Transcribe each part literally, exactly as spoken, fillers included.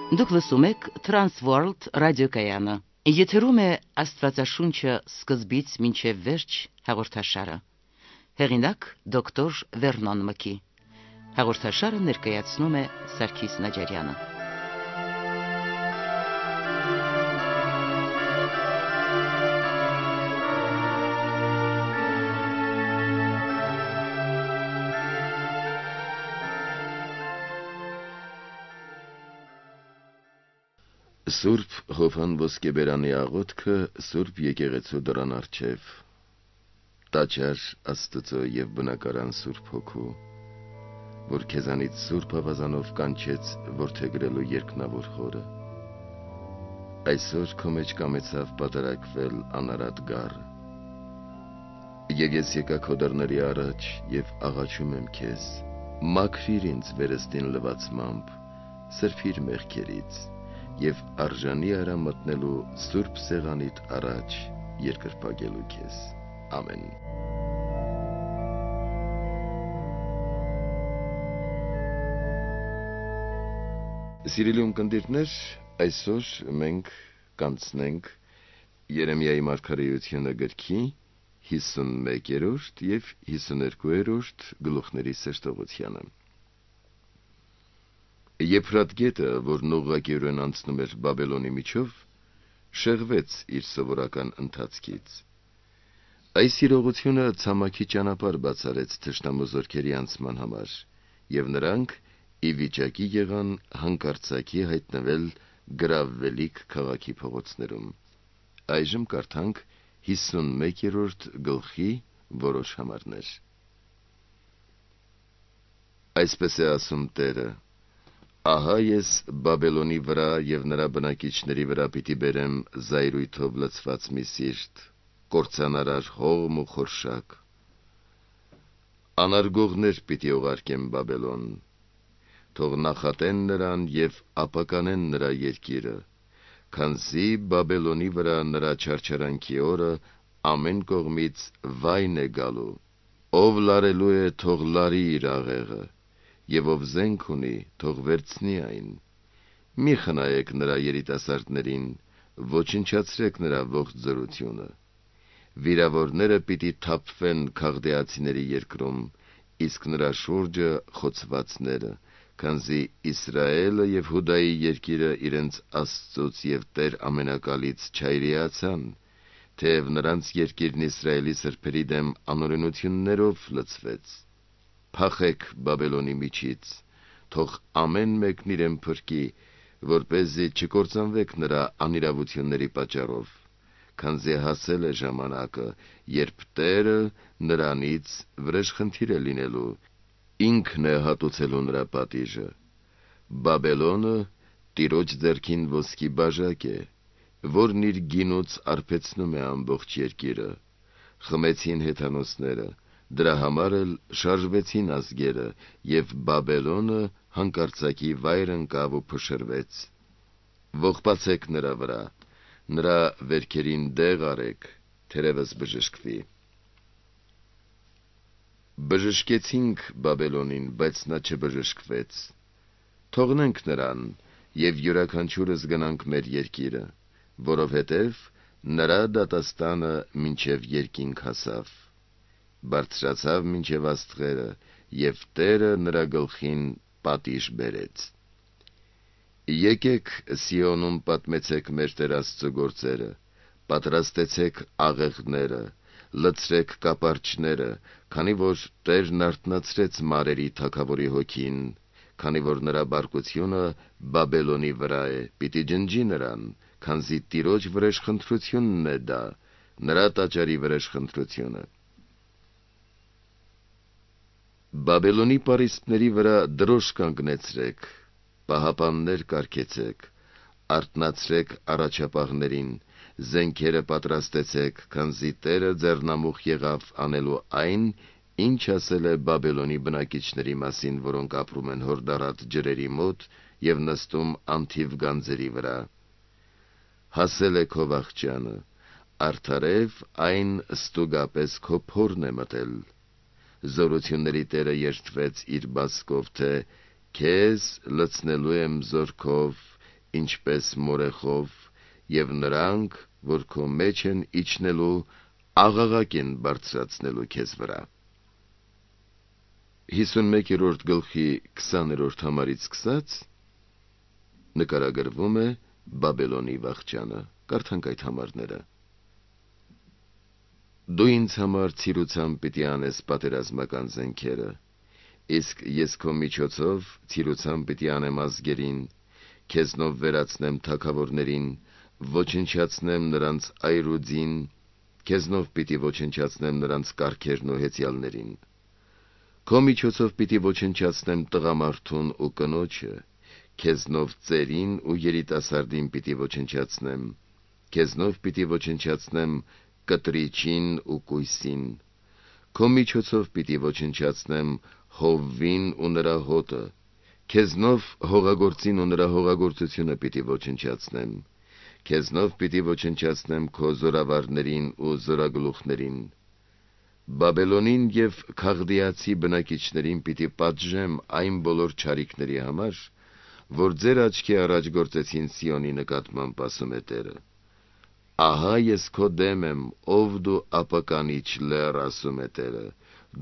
Դուք լսում եք Transworld ռադիոկայանը։ Եթերում է Աստվածաշունչը սկզբից մինչև վերջ հաղորդաշարը։ Հեղինակ դոկտոր Վերնոն Մկի։ Հաղորդաշարը ներկայացնում է Սարգիս Նաջարյանը։ Սուրբ Հովհան ոսկեբերանի աղոթքը Սուրբ եկեղեցու դռան առջև։ Տաճար Աստծո եւ բնակարան Սուրբ Հոգու, որ քեզանից Սուրբ ավազանով կանչեց որդեգրելու երկնավոր խորը։ Այսօր քո մեջ կամեցավ պատարակվել անարատ գառը։ Եկ ես եկա քո դռների առաջ եւ աղաչում եմ քեզ, մաքրիր ինձ վերստին լվացմամբ, սրբիր մեղքերից եւ արժանի արա մտնելու Սուրբ սեղանիդ առաջ երկրպագելու քեզ։ Ամեն։ Սիրելի ունկնդիրներ, այսօր մենք կանցնենք Երեմիայի մարգարեությունը գրքի հիսունմեկերորդ եւ հիսուներկուերորդ գլուխների սերտողությանը։ Եփրատ գետը, որն ուղղակիորեն անցնում էր Բաբելոնի միջով, շեղվեց իր սովորական ընթացքից։ Այս իրողությունը ցամաքի ճանապարհ բացարեց թշնամու զորքերի անցման համար, եւ նրանք ի վիճակի եղան հանկարծակի հայտնվել գրավվելիք քաղաքի փողոցներում։ Այժմ կարդանք հիսունմեկերորդ գլխի որոշ համարներ։ Այսպես է ասում Տերը. Ահա ես Բաբելոնի վրա եւ նրա բնակիչների վրա պիտի բերեմ զայրույթով լցված մի սիրտ, կործանարար հողմ ու խորշակ։ Անարգողներ պիտի ուղարկեմ Բաբելոն, թող նախատեն նրան եւ ապականեն նրա երկիրը, քանզի Բաբելոնի վրա նրա չարչարանքի օրը ամեն կողմից վայն է գալու, ով լարելու է, թող լարի իր աղեղը, եւ ով զենք ունի, թող վերցնի այն։ Մի խնայեք նրա երիտասարդներին, ոչնչացրեք նրա ողջ զորությունը։ Վիրավորները պիտի թափվեն քաղդեացիների երկրում, իսկ նրա շուրջը խոցվածները, քանզի Իսրայելը եւ Հուդայի երկիրը իրենց Աստծուց եւ Տեր ամենակալից չայրիացան, թեև նրանց երկիրն Իսրայելի սրբերի դեմ անօրենություններով լցվեց։ Փախեք Բաբելոնի միջից, թող ամեն մեկն իրեն փրկի, որպեսզի չկործանվեք նրա անիրավությունների պատճառով, քանզի հասել է ժամանակը, երբ Տերը նրանից վրեժխնդիր է լինելու, ինքն է հատուցելու նրա պատիժը։ Բաբելոնը Տիրոջ ձեռքին ոսկի բաժակ է, որն իր գինուց արբեցնում է ամբողջ երկիրը։ Խմեցին հեթանոսները, դրա համար էլ շարժվեցին ազգերը, եւ Բաբելոնը հանկարծակի վայր ընկավ ու փշրվեց։ Ողբացեք նրա վրա, նրա վերքերին դեղ արեք, թերևս բժշկվի։ Բժշկեցինք Բաբելոնին, բայց նա չբժշկվեց։ Թողնենք նրան եւ յուրաքանչյուրս գնանք մեր երկիրը, որովհետեւ նրա դատաստանը մինչև երկինք հասավ, բարձրացավ մինչև աստղերը, եւ Տերը նրա գլխին պատիժ բերեց։ Եկեք Սիոնում պատմեցեք մեր Տեր Աստծո գործերը, պատրաստեցեք աղեղները, լցրեք կապարչները, քանի որ Տերն արթնացրեց մարերի թագավորի հոգին, քանի որ նրա բարկությունը Բաբելոնի վրա է, պիտի ջնջի նրան, քանզի Տիրոջ վրեժխնդրությունն է դա, նրա տաճարի վրեժխնդրությունը։ Բաբելոնի պարիսպների վրա դրոշ կանգնեցրեք, պահապաններ կարգեցեք, արթնացրեք առաջապահներին, զենքերը պատրաստեցեք, քանզի Տերը ձեռնամուխ եղավ անելու այն, ինչ ասել է Բաբելոնի բնակիչների մասին, որոնք ապրում են հորդառատ ջրերի մոտ եւ նստում անթիվ գանձերի վրա։ Հասել է քո վախճանը, արդարև այն ստուգապես քո փորն է մտել։ Զորությունների Տերը երդվեց իր բասկով, թե քեզ լցնելու եմ զորքով ինչպես մորեխով, եւ նրանք, որ քո մեջ են իջնելու, աղաղակ են բարձրացնելու քեզ վրա։ հիսունմեկերորդ գլխի քսաներորդ համարից սկսած նկարագրվում է Բաբելոնի վախճանը։ Կարդանք այդ համարները։ Դու ինձ համար ցիրուցամ պիտի անես պատերազմական զենքերը, իսկ ես քո միջոցով ցիրուցամ պիտի անեմ ազգերին, քեզնով վերացնեմ թագավորներին, ոչնչացնեմ նրանց այրուձին, քեզնով պիտի ոչնչացնեմ նրանց կառքերն ու հեծյալներին։ Քո միջոցով պիտի ոչնչացնեմ տղամարդուն ու կնոջը, քեզնով ծերին ու երիտասարդին պիտի ոչնչացնեմ, քեզնով պիտի ոչնչացնեմ կտրիչին ու կույսին։ Քո միջոցով պիտի ոչնչացնեմ հովվին ու նրա հոտը, քեզնով հողագործին ու նրա հողագործությունը պիտի ոչնչացնեմ, քեզնով պիտի ոչնչացնեմ քո զորավարներին ու զորագլուխներին։ Բաբելոնին եւ Քաղդիացի բնակիչներին պիտի պատժեմ այն բոլոր չարիքների համար, որ ձեր աչքի առաջ գործեցին Սիոնի նկատմամբ, ասում է Տերը։ Ահա ես քո դեմ եմ, ով դու ապականիչ լեռ, ասում է Տերը,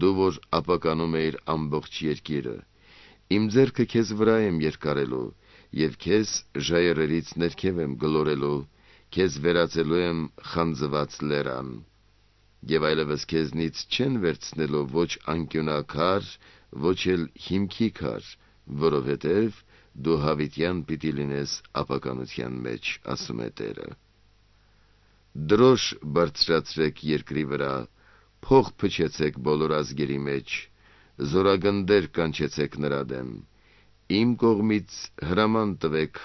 դու որ ապականում էիր ամբողջ երկիրը։ Իմ ձեռքը քեզ վրա եմ երկարելու, եւ քեզ ժայռերից ներքև եմ գլորելու, քեզ վերածելու եմ խանձված լեռան։ Եվ այլևս քեզնից չեն վերցնելու ոչ անկյունակար, ոչ էլ հիմքի քար, որովհետև դու հավիտյան պիտի լինես ապականության մեջ, ասում է Տերը։ Դրոշ բարձրացրեք երկրի վրա, փող փչեցեք բոլոր ազգերի մեջ, զորագնդեր կանչեցեք նրա դեմ, իմ կողմից հրաման տվեք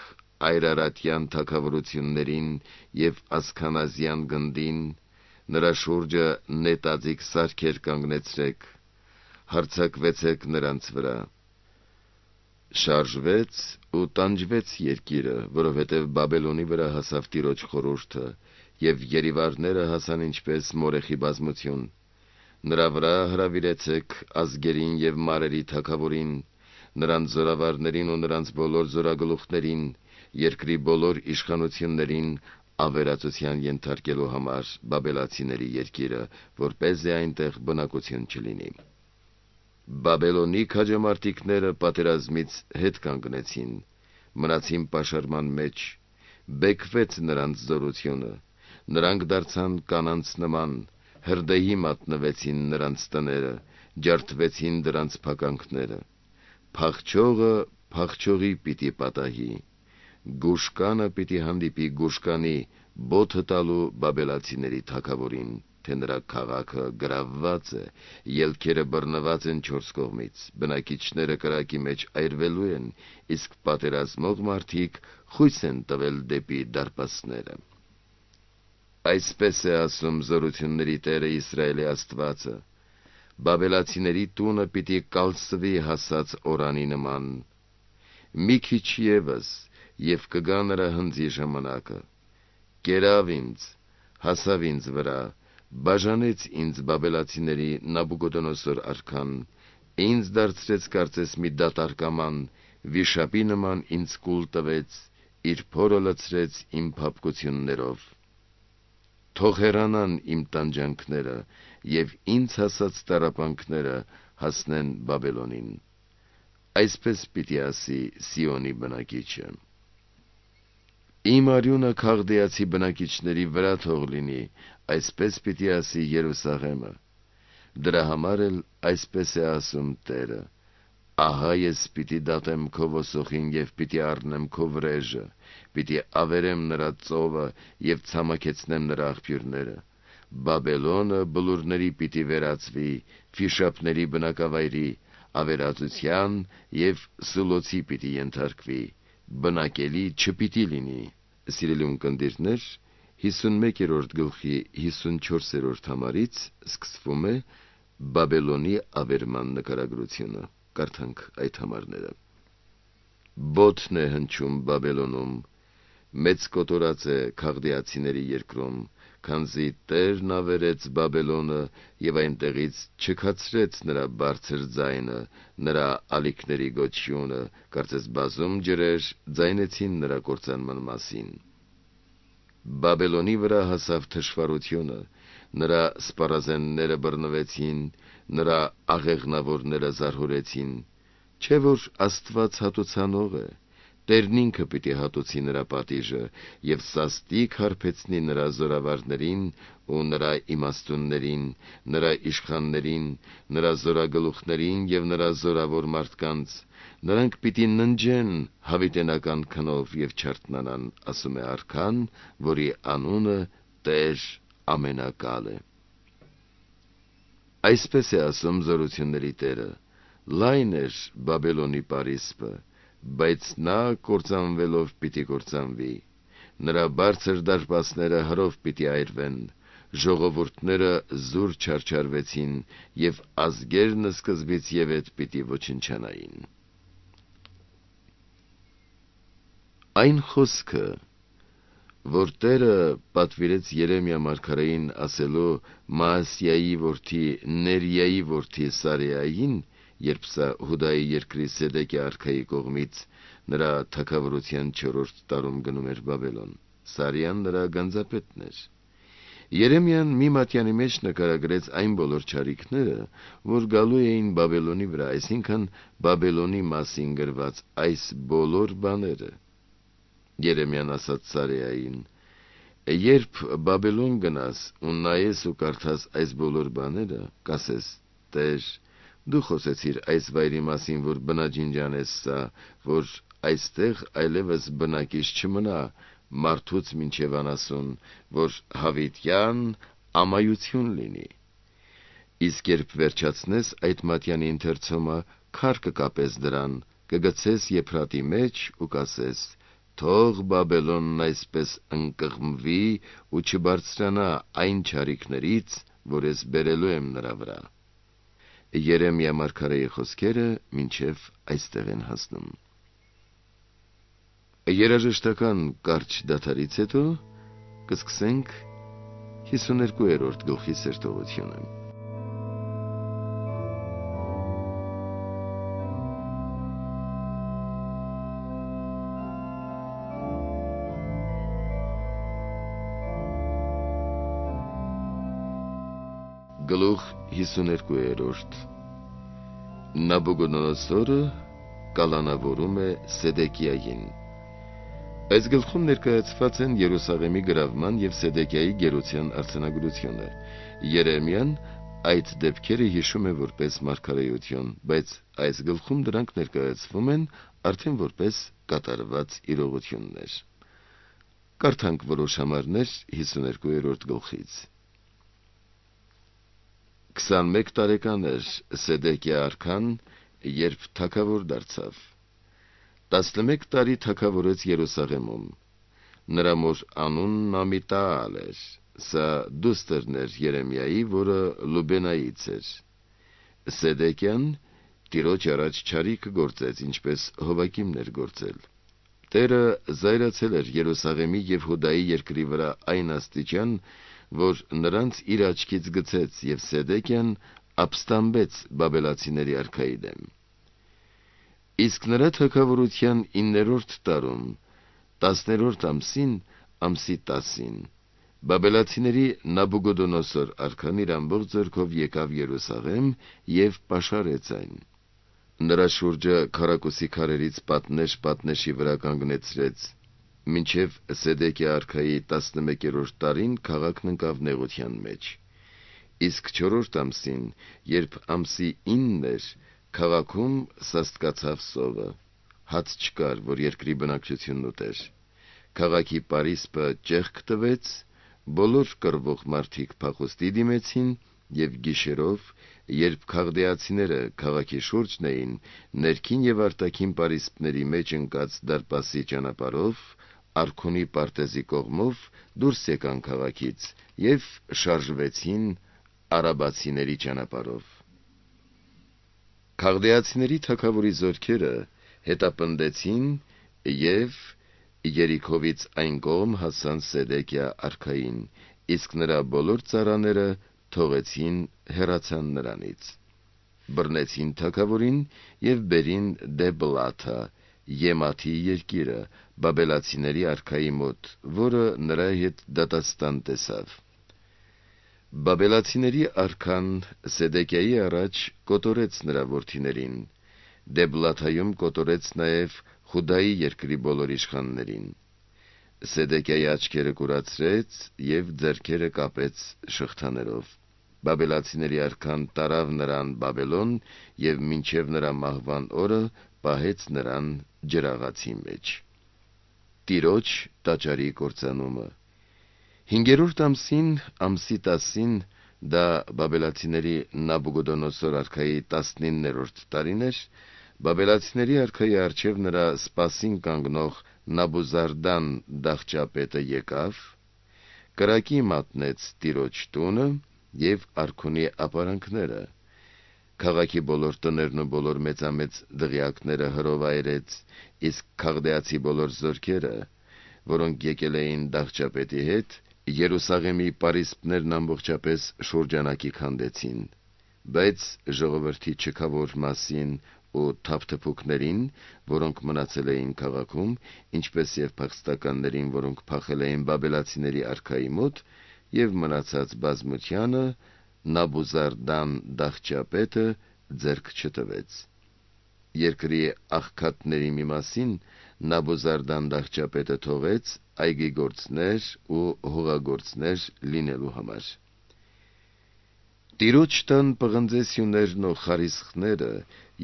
այրարատյան թագավորություններին եւ ասքանազյան գնդին, նրա շուրջը նետաձիգ սարքեր կանգնեցրեք, հարձակվեցեք նրանց վրա։ Շարժվեց ու տանջվեց երկիրը, որովհետև Բաբելոնի վրա հասավ Տիրոջ խորհուրդը, եւ երիվարները հասան ինչպես մորեխի բազմություն։ Նրա վրա հրավիրեցեք ազգերին եւ մարերի թագավորին, նրանց զորավարներին ու նրանց բոլոր զորագլուխներին, երկրի բոլոր իշխանություններին, ավերածության ենթարկելու համար բաբելացիների երկիրը, որպեսզի այնտեղ բնակություն չլինի։ Բաբելոնի քաջամարտիկները պատերազմից հետ կանգնեցին, մնացին պաշարման մեջ, բեկվեց նրանց զորությունը, նրանք դարձան կանանց նման, հրդեհի մատնվեցին նրանց տները, ջարդվեցին դրանց փականքները։ Փախչողը փախչողի պիտի պատահի, գուշկանը պիտի հանդիպի գուշկանի, բոթը տալու բաբելացիների թագավորին, թե նրա քաղաքը գրավված է, ելքերը բռնված են չորս կողմից, բնակիչները կրակի մեջ այրվելու են, իսկ պատերազմող մարդիկ խույս են տվել դեպի դարպասները։ Այսպես է ասում զորությունների Տերը Իսրայելի Աստվածը. Բաբելացիների տունը պիտի կալսվի հասած օրանի նման։ Մի քիչ ևս, եւ կգա նրա հնձի ժամանակը։ Կերավ ինձ, հասավ ինձ վրա, բաժանեց ինձ բաբելացիների Նաբուկոդոնոսոր արքան, ինձ դարձրեց կարծես մի դատարկաման, վիշապի նման ինձ կուլ տվեց, իր փորը լցրեց իմ փափկություններով։ Թող հեռանան իմ տանջանքները, եւ ինձ հասած տառապանքները հասնեն Բաբելոնին։ Այսպես պիտի ասի Սիոնի բնակիչը. Իմ արյունը Քաղդիացի բնակիչների վրա թող լինի, այսպես պիտի ասի Երուսաղեմը։ Դրա համար էլ այսպես է ասում Տերը. ահա ես պիտի դատեմ քո ոսոխին եւ պիտի առնեմ քո վրեժը, պիտի ավերեմ նրա ծովը եւ ցամաքեցնեմ նրա աղբյուրները։ Բաբելոնը բլուրների պիտի վերածվի, ֆիշապների բնակավայրի, ավերածության եւ սուլոցի պիտի ենթարկվի, բնակելի չպիտի լինի։ Սիրելի ունկնդիրներ, հիսունմեկերորդ գլխի հիսունչորսերորդ համարից սկսվում է Բաբելոնի ավերման նկարագրությունը։ Կարդանք այդ համարները։ Բոթն է հնչում Բաբելոնում, մեծ կոտորած է Քաղդիացիների երկրում, քանզի Տերն ավերեց Բաբելոնը եւ այնտեղից չքացրեց նրա բարձր ձայնը, նրա ալիքների գոչյունը, կարծես բազում ջրեր ձայնեցին նրա կործանման մասին։ Բաբելոնի վրա հասավ թշվառությունը, նրա սպառազենները բռնվեցին, նրա աղեղնավորները զարհուրեցին, չէ՞ որ Աստված հատուցանող է, Տերն ինքը պիտի հատուցի նրա պատիժը եւ սաստիկ հարբեցնի նրա զորավարներին ու նրա իմաստուններին, նրա իշխաններին, նրա զորագլուխներին եւ նրա զորավոր մարդկանց, նրանք պիտի ննջեն հավիտենական քնով եւ չարթնանան, ասում է Արքան, որի անունը Տեր ամենակալ է։ Այսպես է ասում զորությունների Տերը. լայն էր Բաբելոնի պարիսպը, բայց նա կործանվելով պիտի կործանվի, նրա բարձր դարպասները հրով պիտի այրվեն, ժողովուրդները զուր չարչարվեցին եւ ազգերն սկզբից եւ ետ պիտի ոչնչանային։ Այն խոսքը, որ Տերը պատվիրեց Երեմիա մարգարեին ասելու Մասիայի որդի Ներիայի որդի Սարեային, երբ սա Հուդայի երկրի Սեդեկիա արքայի կողմից նրա թագավորության չորրորդ տարում գնում էր Բաբելոն, Սարեան նրա գանձապետն էր։ Երեմիան մի մատյանի մեջ նկարագրեց այն բոլոր չարիքները, որ գալու էին Բաբելոնի վրա, այսինքն Բաբելոնի մասին գրված այս բոլոր բաները։ Երեմիան ասաց Սարեային. երբ Բաբելոն գնաս ու նայես ու կարդաս այս բոլոր բաները, կասես. Տեր, դու խոսեցիր այս վայրի մասին, որ բնաջինջան է սա, որ այստեղ այլևս բնակիչ չմնա, մարդուց մինչև անասուն, որ հավիտյան ամայություն լինի։ Իսկ երբ վերջացնես այդ մատյանի ընթերցումը, քար կկապես դրան, կգցես եփրատի մեջ ու կասես. թող Բաբելոնն այսպես ընկղմվի ու չբարձրանա այն չարիքներից, որ ես բերելու եմ նրա վրա։ Երեմիա մարգարեի խոսքերը մինչև այստեղ են հասնում։ Երաժշտական կարճ դադարից հետո կսկսենք հիսուներկուերորդ գլխի սերտողությունը։ Գլուխ հիսուներկուերորդ Նաբուգոդոնոսորը կալանավորում է Սեդեկիային։ Այս գլխում ներկայացված են Երուսաղեմի գրավման եւ Սեդեկիայի գերության արձանագրությունը։ Երեմիան այդ դեպքերը հիշում է որպես մարգարեություն, բայց այս գլխում դրանք ներկայացվում են արդեն որպես կատարված իրողություններ։ Կարդանք որոշ համարներ հիսուներկուերորդ գլխից։ քսանմեկ տարեկան էր Սեդեկիա արքան, երբ թագավոր դարձավ։ տասնմեկ տարի թագավորեց Երուսաղեմում։ Նրա մոր անունն Ամիտաալ էր, սա դուստրն էր Երեմիայի, որը Լուբենայից էր։ Սեդեկիան Տիրոջ առաջ չարիք գործեց, ինչպես Հովակիմն էր գործել։ Տերը զայրացել էր Երուսաղեմի եւ Հուդայի երկրի վրա այն աստիճան, որ նրանց իր աչքից գցեց եւ Սեդեկիան ապստամբեց բաբելացիների արքայի դեմ։ Իսկ նրա թագավորության իններորդ տարում, տասներորդ ամսին, ամսի տասին, բաբելացիների Նաբուգոդոնոսոր արքան իր ամբողջ ձեռքով եկավ Երուսաղեմ եւ պաշարեց այն։ Նրա շուրջը քառակուսի քարերից պատնեշ պատնեշի վրա կանգնեցրեց, մինչև Սեդեկիա արքայի տասնմեկերորդ տարին քաղաքն ընկավ նեղության մեջ։ Իսկ չորրորդ ամսին, երբ ամսի ինն էր, քաղաքում սաստկացավ սովը, հաց չկար, որ երկրի բնակչությունն ուտեր։ Քաղաքի պարիսպը ճեղք տվեց, բոլոր կռվող մարդիկ փախուստի դիմեցին եւ գիշերով, երբ քաղդեացիները քաղաքի շուրջն էին, ներքին եւ արտաքին պարիսպների մեջ ընկած դարպասի ճանապարհով, Արքունի պարտեզի կողմով դուրս եկան քաղաքից եւ շարժվեցին արաբացիների ճանապարհով։ Քաղդեացիների թագավորի զորքերը հետապնդեցին եւ Երիքովից այն կողմ հասան Սեդեկիա արքային, իսկ նրա բոլոր ծառաները թողեցին հեռացան նրանից։ Բռնեցին թագավորին եւ բերին Դեբլաթա, Եմաթի երկիրը, բաբելացիների արքայի մոտ, որը նրա հետ դատաստան տեսավ։ Բաբելացիների արքան Սեդեկիայի առաջ կոտորեց նրա որդիներին, Դեբլաթայում կոտորեց նաև Խուդայի երկրի բոլոր իշխաններին։ Սեդեկիայի աչքերը կուրացրեց եւ ձեռքերը կապեց շղթաներով։ Բաբելացիների արքան տարավ նրան Բաբելոն եւ մինչեւ նրա մահվան օրը պահեց նրան ջրաղացի մեջ։ Տիրոջ տաճարի կործանումը։ Հինգերորդ ամսին, ամսի տասին, դա բաբելացիների Նաբուգոդոնոսոր արքայի տասնիններորդ տարին էր, բաբելացիների արքայի առջև նրա սպասին կանգնող Նաբուզարդան դախճապետը եկավ, կրակի մատնեց տիրոջ տունը եւ արքունի ապարանքները, քաղաքի բոլոր տներն ու բոլոր մեծամեծ դղյակները հրովայրեց, իսկ քաղդեացի բոլոր զորքերը, որոնք եկել էին դախճապետի հետ, Երուսաղեմի պարիսպներն ամբողջապես շուրջանակի քանդեցին, բայց ժողովրդի չքավոր մասին ու թափթփուկներին, որոնք մնացել էին քաղաքում, ինչպես եւ փախստականներին, որոնք փախել էին բաբելացիների արքայի մոտ, եւ մնացած բազմությանը Նաբուզարդան դախճապետը ձեռք չտվեց։ Երկրի աղքատների մի մասին Նաբուզարդան դախճապետը թողեց այգիգործներ ու հողագործներ լինելու համար։ Տիրոջ տան պղնձե սյուներն ու խարիսխները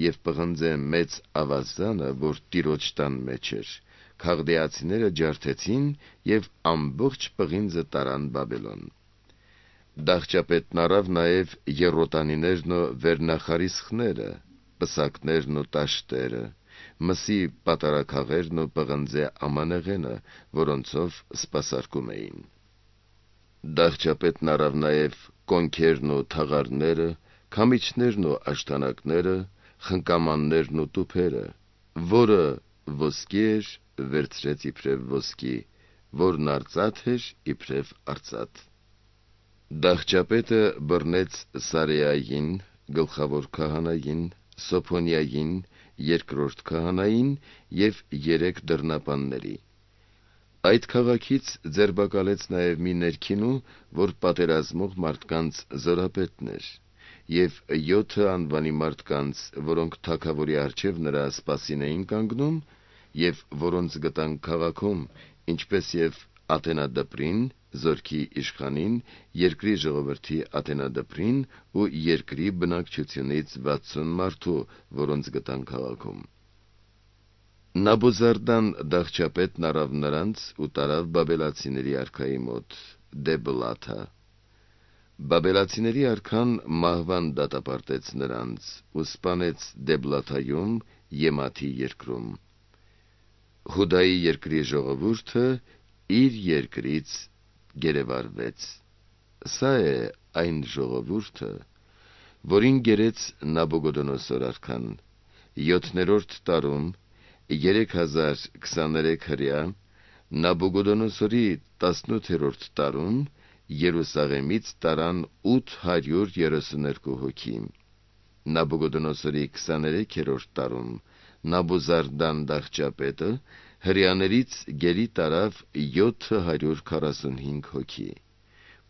եւ պղնձե մեծ ավազանը, որ տիրոջ տան մեջ էր, քաղդեացիները ջարդեցին եւ ամբողջ պղինձը տարան Բաբելոն։ Դախճապետն առավ նաեւ եռոտանիներն ու վերնախարիսխները, պսակներն ու տաշտերը, մսի պատարագաղերն ու պղնձե ամանեղենը, որոնցով սպասարկում էին։ Դախճապետն առավ նաեւ կոնքերն ու թաղարները, քամիչներն ու աշտանակները, խնկամաններն ու տուփերը, որը ոսկի էր, վերցրեց իբրև ոսկի, որն արծաթ էր իբրև արծաթ։ Դախճապետը բռնեց Սարեային, գլխավոր քահանային, Սոփոնիային, երկրորդ քահանային եւ երեք դռնապանների։ Այդ քաղաքից ձերբակալեց նաեւ մի ներքինու, որ պատերազմող մարդկանց զորապետն էր, եւ յոթը անվանի մարդկանց, որոնք թագավորի առջև նրա սպասին էին կանգնում, եւ որոնց գտան քաղաքում, ինչպես եւ Աթենադպրին, զորքի իշխանին, երկրի ժողովրդի Աթենադպրին ու երկրի բնակչությունից վաթսուն մարդու, որոնց գտան քաղաքում։ Նաբուզարդան դախճապետն առավ նրանց ու տարավ բաբելացիների արքայի մոտ, Դեբլաթա։ Բաբելացիների արքան մահվան դատապարտեց նրանց ու սպանեց Դեբլաթայում, Եմաթի երկրում։ Հուդայի երկրի ժողովուրդը իր երկրից գերեվարվեց։ Սա է այն ժողովուրդը, որին գերեց Նաբուգոդոնոսոր արքան։ Յոթներորդ տարում, երեք հազար քսաներեք հրյա, Նաբուգոդոնոսորի տասնութերորդ տարում Երուսաղեմից տարան ութ հարյուր երեսուներկու հոգի։ Նաբուգոդոնոսորի քսաներեքերորդ տարում Նաբուզարդան դախճապետը հրյաներից գերի տարավ յոթ հարյուր քառասունհինգ հոգի,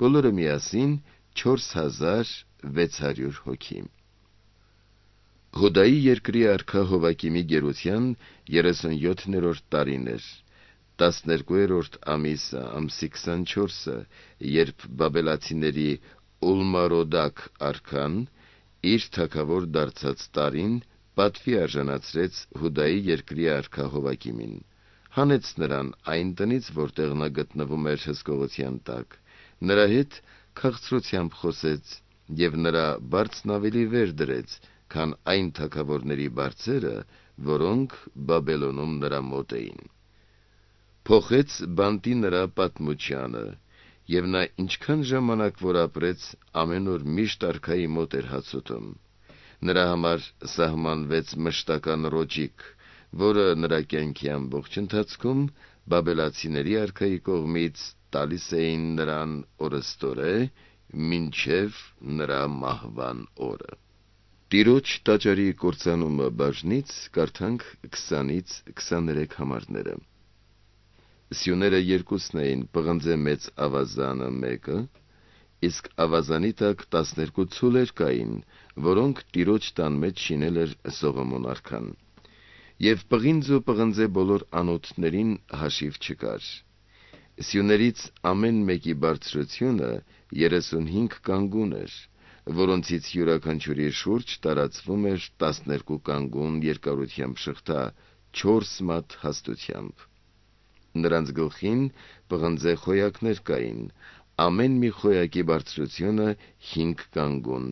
բոլորը միասին չորս հազար վեց հարյուր հոգի։ Հուդայի երկրի արքա Հովակիմի գերության երեսունյոթներորդ տարին էր, տասներկուերորդ ամիսը, ամսի քսանչորսը, երբ բաբելացիների Ուլմարոդակ արքան իր թագավոր դարձած տարին պատվի արժանացրեց Հուդայի երկրի արքա Հովակիմին, հանեց նրան այն տնից, որտեղ նա գտնվում էր հսկողության տակ, նրա հետ քաղցրությամբ խոսեց եւ նրա բարձն ավելի վեր դրեց, քան այն թագավորների բարձերը, որոնք Բաբելոնում նրա մոտ էին։ Փոխեց բանտի նրա պատմությանը, եւ նա ինչքան ժամանակ որ ապրեց, ամեն օր միշտ արքայի մոտ էր հաց ուտում։ Նրա համար սահմանվեց մշտական ռոճիկ, որը նրա կյանքի ամբողջ ընթացքում բաբելացիների արքայի կողմից տալիս էին նրան օրըստորե, մինչև նրա մահվան օրը։ Տիրոջ տաճարի կործանումը բաժնից կարդանք քսանից քսաներեք համարները։ Սյուները երկուսն էին, պղնձե մեծ ավազանը մեկը, իսկ ավազանի տակ տասներկու ցուլեր կային, որոնք տիրոջ տան մեջ շինել էր Սողոմոն արքան։ Եվ պղինձ ու պղնձե բոլոր անոթներին հաշիվ չկար։ Սյուներից ամեն մեկի բարձրությունը երեսունհինգ կանգուն էր, որոնցից յուրաքանչյուրի շուրջ տարածվում էր տասներկու կանգուն երկարությամբ շղթա, չորս մատ հաստությամբ։ Նրանց գլխին պղնձե խոյակներ կային, ամեն մի խոյակի բարձրությունը հինգ կանգուն։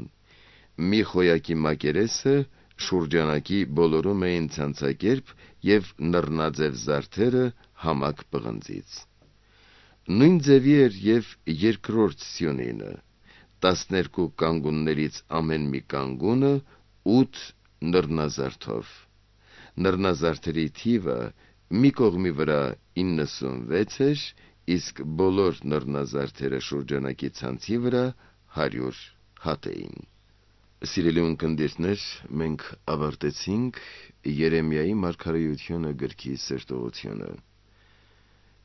Մի խոյակի մակերեսը շուրջանակի բոլորում էին ցանցակերպ և նռնաձև զարդերը համակ պղնձից։ Նույն ձևի էր և երկրորդ սյունինը, տասներկու կանգուններից ամեն մի կանգունը ութ նռնազարդով։ Նռնազարդերի թիվը մի կողմի վրա իննսունվեց էր, իսկ բոլոր նռնազարդերը շուրջանակի ցանցի վրա հարյուր հատ էին։ Սիրելի ունկնդիրներ, մենք ավարտեցինք Երեմիայի մարգարեությունը գրքի սերտողությունը։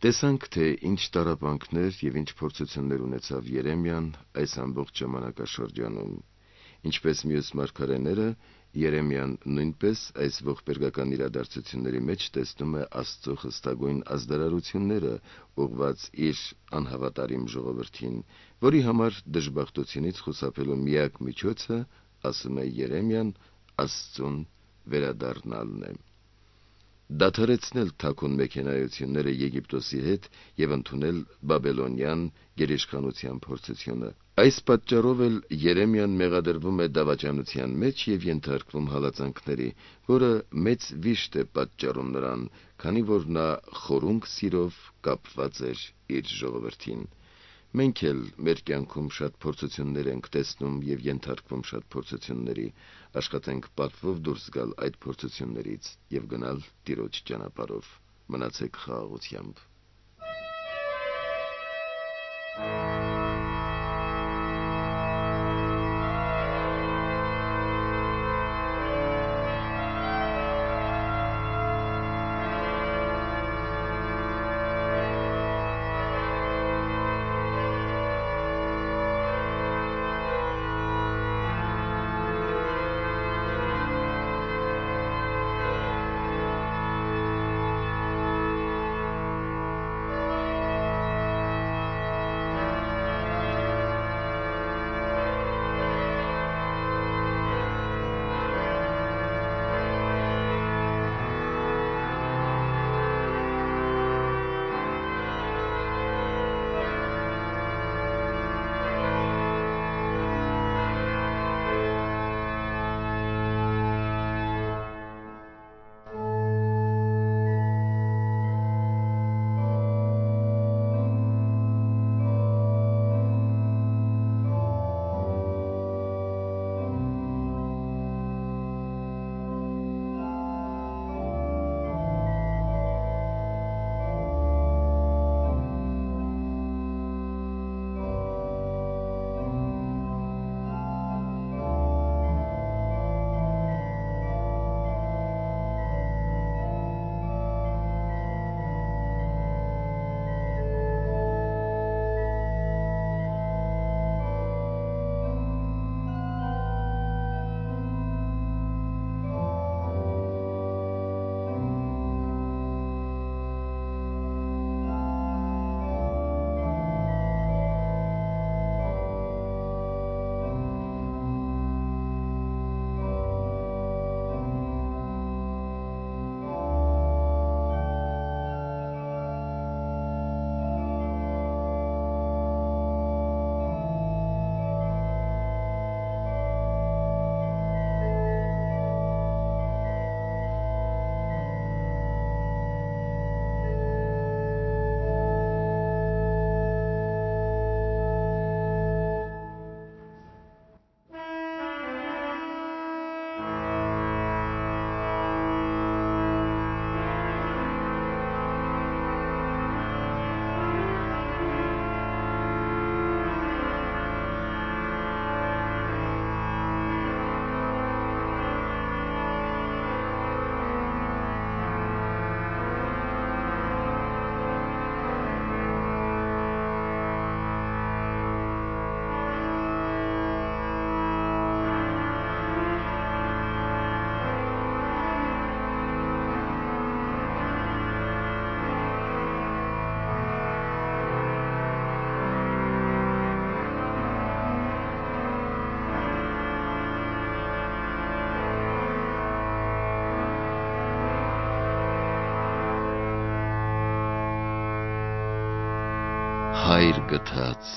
Տեսանք, թե ինչ տառապանքներ և ինչ փորձություններ ունեցավ Երեմիան այս ամբողջ ժամանակաշրջանում։ Ինչպես մյուս մարգարեները, Երեմիան նույնպես այս ողբերգական իրադարձությունների մեջ տեսնում է Աստծո խստագույն ազդարարությունները, ուղղված իր անհավատարիմ ժողովրդին, որի համար դժբախտությունից խուսափելու միակ միջոցը, ասում է Երեմիան, Աստծուն վերադառնալն է։ Դադարեցնել թաքուն մեքենայությունները Եգիպտոսի հետ և ընդունել բաբելոնյան գերիշխանության փորձությունը։ Այս պատճառով էլ Երեմիան մեղադրվում է դավաճանության մեջ և ենթարկվում հալածանքների, որը մեծ վիշտ է պատճառում նրան, քանի որ նա խորունկ սիրով կապված էր իր ժողովրդին։ Մենք էլ մեր կյանքում շատ փորձություններ ենք տեսնում և ենթարկվում շատ փորձությունների, աշխատենք պատվով դուրս գալ այդ փորձություններից և գնալ Տիրոջ ճանապարհով։ Մնացեք խաղաղությամբ։ հայր գթած,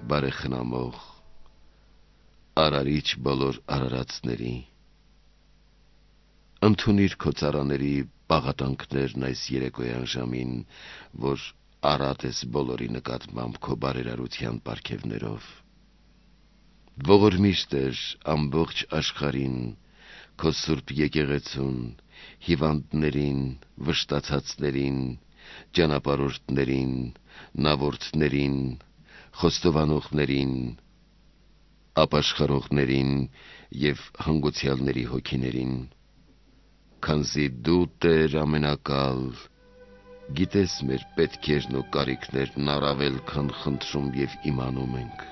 բարեխնամող, արարիչ բոլոր արարածների, ընդունիր քո ծառաների պաղատանքներն այս երեկոյան ժամին, որ արատ ես բոլորի նկատմամբ քո բարերարության պարգևներով։ Ողորմիր Տեր ամբողջ աշխարհին, քո սուրբ եկեղեցուն, հիվանդներին, վշտացածներին, ճանապարհորդներին, նավորդներին, խոստովանողներին, ապաշխարողներին և հանգուցյալների հոգիներին, քանզի դու Տեր ամենակալ, գիտես մեր պետքերն ու կարիքներն առավել, քան խնդրում և իմանում ենք,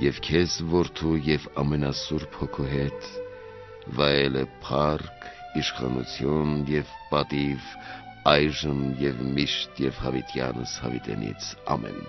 և քեզ որդու և ամենասուրբ Հոգու հետ վայել է փառք, իշխանություն և պատիվ այժմ և միշտ և հավիտյանս հավիտենից, ամեն։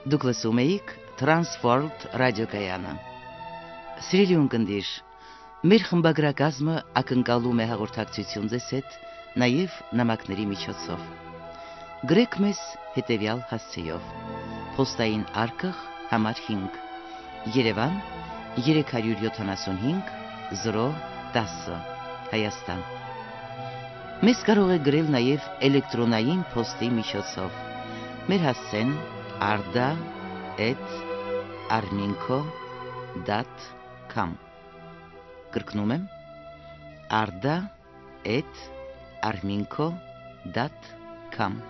Դուք լսում էիք Transworld ռադիոկայանը։ Սիրելի ունկնդիր, մեր խմբագրակազմը ակնկալում է հաղորդակցություն ձեզ հետ նաև նամակների միջոցով։ Գրեք մեզ հետևյալ հասցեով. Պոստային արկղ համար հինգ, Երևան երեք հարյուր յոթանասունհինգ զիրո տասը, Հայաստան։ Մեզ կարող է գրել նաև էլեկտրոնային փոստի միջոցով։ Մեր հասցեն arda at arminco dot com Կրկնում եմ arda at arminco dot com